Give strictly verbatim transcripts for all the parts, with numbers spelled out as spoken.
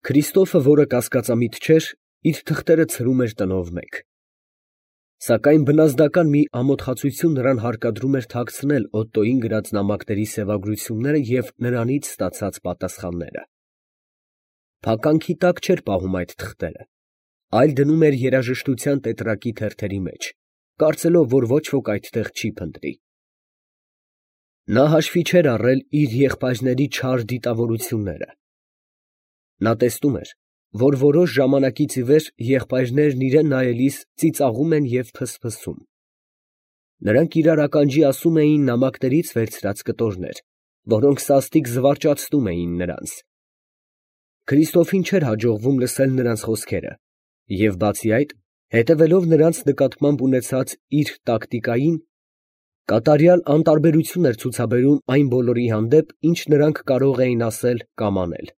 Քրիստոֆը, որը կասկածամիտ չէր, իր թղթերը ցրում էր տնով մեկ. սակայն բնազդական մի ամոթխածություն նրան հարկադրում էր թաքցնել Օտտոյին գրած նամակների սևագրությունները և նրանից ստացած պատասխանները։ Փականքի տակ չէր պահում այդ թղթերը, այլ դնում էր երաժշտության տետրակի թերթերի մեջ, կարծելով, որ ոչ ոք այդտեղ չի փնտրի։ Նա հաշվի չէր առել իր եղբայրների չար դիտավորությունները։ Նա տեսնում էր, որ որոշ ժամանակից ի վեր եղբայրներն իրան նայելիս ծիծաղում են և փսփսում։ Նրանք իրար ականջի ասում էին նամակներից վերցրած կտորներ, որոնք սաստիկ զվարճացնում էին նրանց։ Քրիստոֆին չէր հաջողվում լսել նրանց խոսքերը և, բացի այդ, հետևելով նրանց նկատմամբ ունեցած իր տակտիկային, կատարյալ անտարբերություն էր ցուցաբերում այն բոլորի հանդեպ, ինչ նրանք կարող էին ասել կամ անել։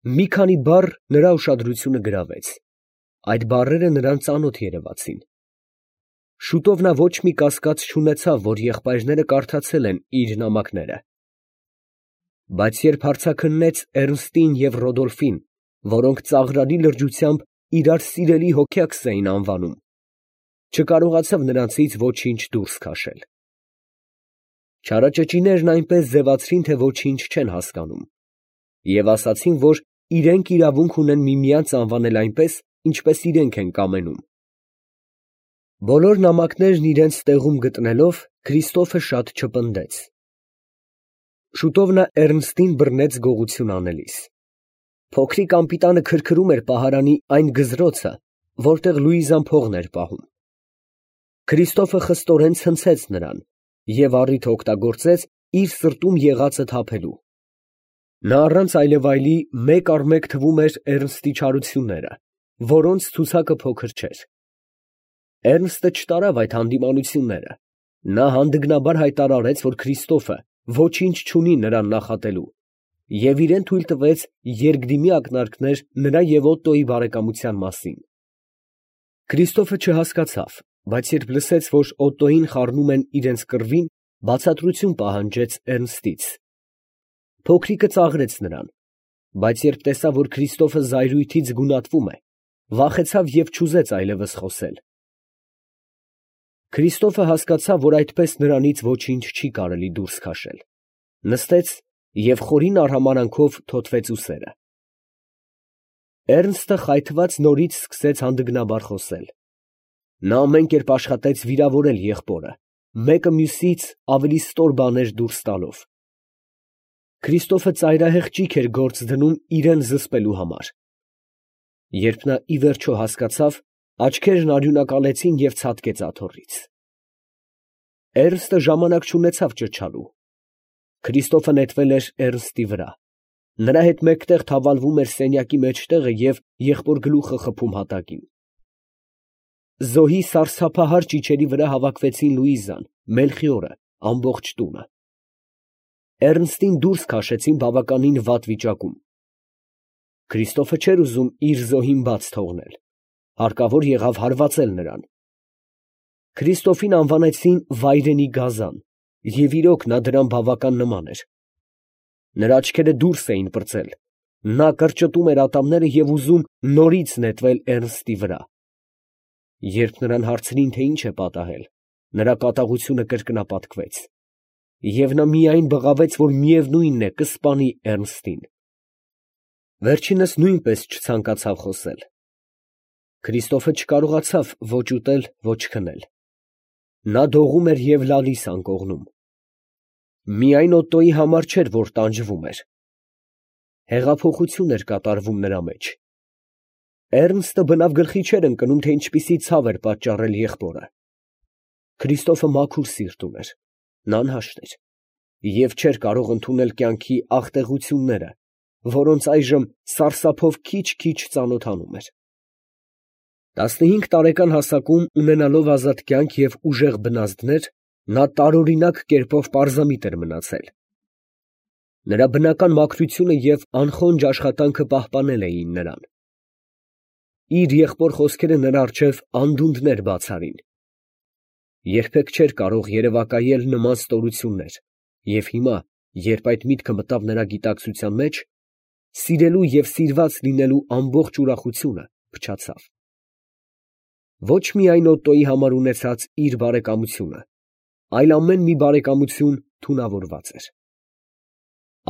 Մի քանի բառ նրա ուշադրությունը գրավեց. այդ բառերը նրան ծանոթ երևացին։ Շուտով նա ոչ մի կասկած չունեցավ, որ եղբայրները կարդացել են իր նամակները։ Բայց երբ հարցաքննեց Էռնստին և Ռոդոլֆին, որոնք ծաղրալի լրջությամբ իրար սիրելի հոգյակս էին անվանում, չկարողացավ նրանցից ոչինչ դուրս քաշել։ Չարաճճիներն այնպես ձևացրին, թե ոչինչ չեն հասկանում, և ասացին, որ իրենք իրավունք ունեն միմյանց անվանել այնպես, ինչպես իրենք են կամենում։ Բոլոր նամակներն իրենց տեղում գտնելով, Քրիստոֆը շատ չպնդեց։ Շուտով նա Էռնստին բռնեց գողություն անելիս։ Փոքրիկ անպիտանը քրքրում էր պահարանի այն գզրոցը, որտեղ Լուիզան փողն էր պահում։ Քրիստոֆը խստորեն ցնցեց նրան և առիթը օգտագործեց իր սրտում եղածը թափելու։ Նա առանց այլևայլի մեկ առ մեկ թվում էր Էռնստի չարությունները, որոնց ցուցակը փոքր չէր։ Էռնստը չտարավ այդ հանդիմանությունները, նա հանդգնաբար հայտարարեց, որ Քրիստոֆը ոչինչ չունի նրան նախատելու և իրան թույլ տվեց երկդիմի ակնարկներ նրա և Օտտոյի բարեկամության մասին։ Քրիստոֆը չհասկացավ, բայց երբ լսեց, որ Օտտոյին խառնում են իրենց կռվին, բացատրություն պահանջեց Էռնստից։ Փոքրիկը ծաղրեց նրան, բայց երբ տեսավ, որ Քրիստոֆը զայրույթից գունատվում է, վախեցավ և չուզեց այլևս խոսել։ Քրիստոֆը հասկացավ, որ այդպես նրանից ոչինչ չի կարելի դուրս քաշել, նստեց և խորին արհամարհանքով թոթվեց ուսերը։ Էռնստը խայթված նորից սկսեց հանդգնաբար խոսել։ Նա ամեն կերպ աշխատեց վիրավորել եղբորը, մեկը մյուսից ավելի ստոր բաներ դուրս տալով։ Քրիստոֆը ծայրահեղ ճիգ էր գործ դնում իրան զսպելու համար։ Երբ նա ի վերջո հասկացավ, աչքերն արյունակալեցին և ցատկեց աթոռից։ Էռնստը ժամանակ չունեցավ ճչալու։ Քրիստոֆը նետվել էր Էռնստի վրա, նրա հետ մեկտեղ թավալվում էր սենյակի մեջտեղը և եղբոր գլուխը խփում հատակին։ Զոհի սարսափահար ճիչերի վրա հավաքվեցին Լուիզան, Մելխիորը, ամբողջ տունը։ Էռնստին դուրս քաշեցին բավականին վատ վիճակում։ Քրիստոֆը չէր ուզում իր զոհին բաց թողնել, հարկավոր եղավ հարվածել նրան։ Քրիստոֆին անվանեցին վայրենի գազան, և իրոք նա դրան բավական նման էր։ Նրա աչքերը դուրս էին պրծել, նա կրճտում էր ատամները և ուզում նորից նետվել Էռնստի վրա։ Երբ նրան հարցրին, թե ինչ է պատահել, նրա կատաղությունը կրկնապատկվեց, և նա միայն բղավեց, որ միևնույնն է, կսպանի Էռնստին։ Վերջինս նույնպես չցանկացավ խոսել։ Քրիստոֆը չկարողացավ ոչ ուտել, ոչ քնել։ Նա դողում էր և լալիս անկողնում։ Միայն Օտտոյի համար չէր, որ տանջվում էր։ Հեղափոխություն էր կատարվում նրա մեջ։ Էռնստը բնավ գլխի չէր ընկնում, թե ինչպիսի ցավ էր պատճառել եղբորը։ Քրիստոֆը մաքուր սիրտ ուներ, նա անհաշտ էր և չէր կարող ընդունել կյանքի աղտեղությունները, որոնց այժմ սարսափով քիչ֊քիչ ծանոթանում էր։ Տասնհինգ տարեկան հասակում, ունենալով ազատ կյանք և ուժեղ բնազդներ, նա տարօրինակ կերպով պարզամիտ էր մնացել։ Նրա բնական մաքրությունը և անխոնջ աշխատանքը պահպանել էին նրան։ Իր եղբոր խոսքերը նրա առջև անդունդներ բաց արին։ Երբեք չէր կարող երևակայել նման ստորություններ, և հիմա, երբ այդ միտքը մտավ նրա գիտակցության մեջ, սիրելու և սիրված լինելու ամբողջ ուրախությունը փչացավ։ Ոչ միայն Օտտոյի համար ունեցած իր բարեկամությունը, այլ ամեն մի բարեկամություն թունավորված էր։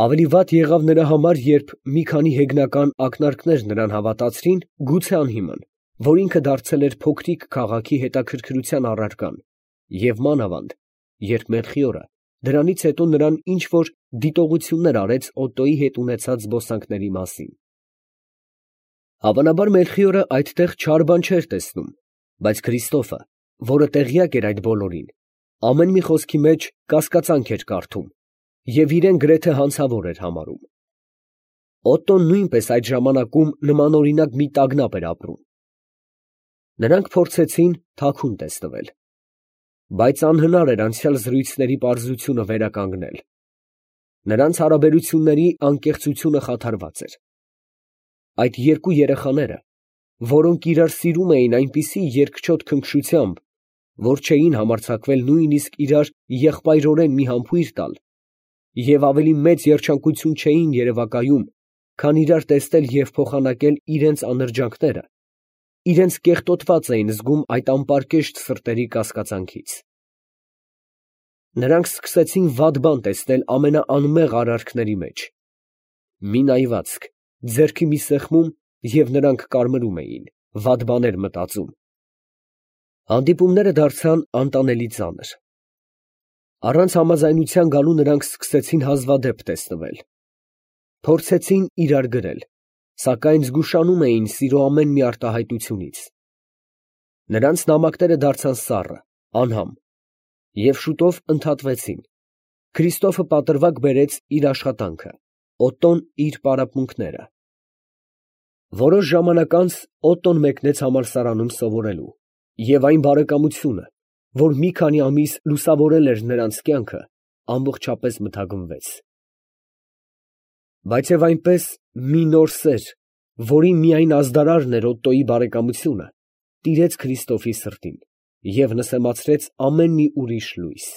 Ավելի վատ եղավ նրա համար, երբ մի քանի հեգնական ակնարկներ նրան հավատացրին, գուցե անհիմն, որ ինքը դարձել էր փոքրիկ քաղաքի հետաքրքրության առարկան, և մանավանդ, երբ Մելխիորը դրանից հետո նրան ինչ որ դիտողություններ արեց Օտտոյի հետ ունեցած զբոսանքների մասին։ Հավանաբար Մելխիորը այդտեղ չար բան չէր տեսնում, բայց Քրիստոֆը, որը տեղյակ էր այդ բոլորին, ամեն մի խոսքի մեջ կասկածանք էր կարդում և իրեն գրեթե հանցավոր էր համարում։ Օտտոն նույնպես այդ ժամանակում նմանօրինակ մի տագնապ էր ապրում։ Նրանք փորձեցին թաքուն տեսնվել, բայց անհնար էր անցյալ զրույցների պարզությունը վերականգնել։ Նրանց հարաբերությունների անկեղծությունը խաթարված էր։ Այդ երկու երեխաները, որոնք իրար սիրում էին այնպիսի երկչոտ քնքշությամբ, որ չէին համարձակվել նույնիսկ իրար եղբայրորեն մի համբույր տալ և ավելի մեծ երջանկություն չէին երևակայում, քան իրար տեսնել և փոխանակել իրենց անրջանքները, իրենց կեղտոտված էին զգում այդ անպարկեշտ սրտերի կասկածանքից։ Նրանք սկսեցին վատ բան տեսնել ամենաանմեղ արարքների մեջ. մի նայվածք, ձեռքի մի սեղմում, և նրանք կարմրում էին, վատ բաներ մտածում։ Հանդիպումները դարձան անտանելի ծանր։ Առանց համաձայնության գալու նրանք սկսեցին հազվադեպ տեսնվել։ Փորձեցին իրար գրել, սակայն զգուշանում էին սիրո ամեն մի արտահայտությունից։ Նրանց նամակները դարձան սառը, անհամ և շուտով ընդհատվեցին։ Քրիստոֆը պատրվակ բերեց իր աշխատանքը, Օտտոն իր պարապմունքները։ Որոշ ժամանակ անց Օտտոն մեկնեց համալսարանում սովորելու, և այն բարեկամությունը, որ մի քանի ամիս լուսավորել էր նրանց կյանքը, ամբողջապես մթագնվեց։ Բայց և այնպես մի նոր սեր, որի միայն ազդարարն էր Օտտոյի բարեկամությունը, տիրեց Քրիստոֆի սրտին և նսեմացրեց ամեն մի ուրիշ լույս։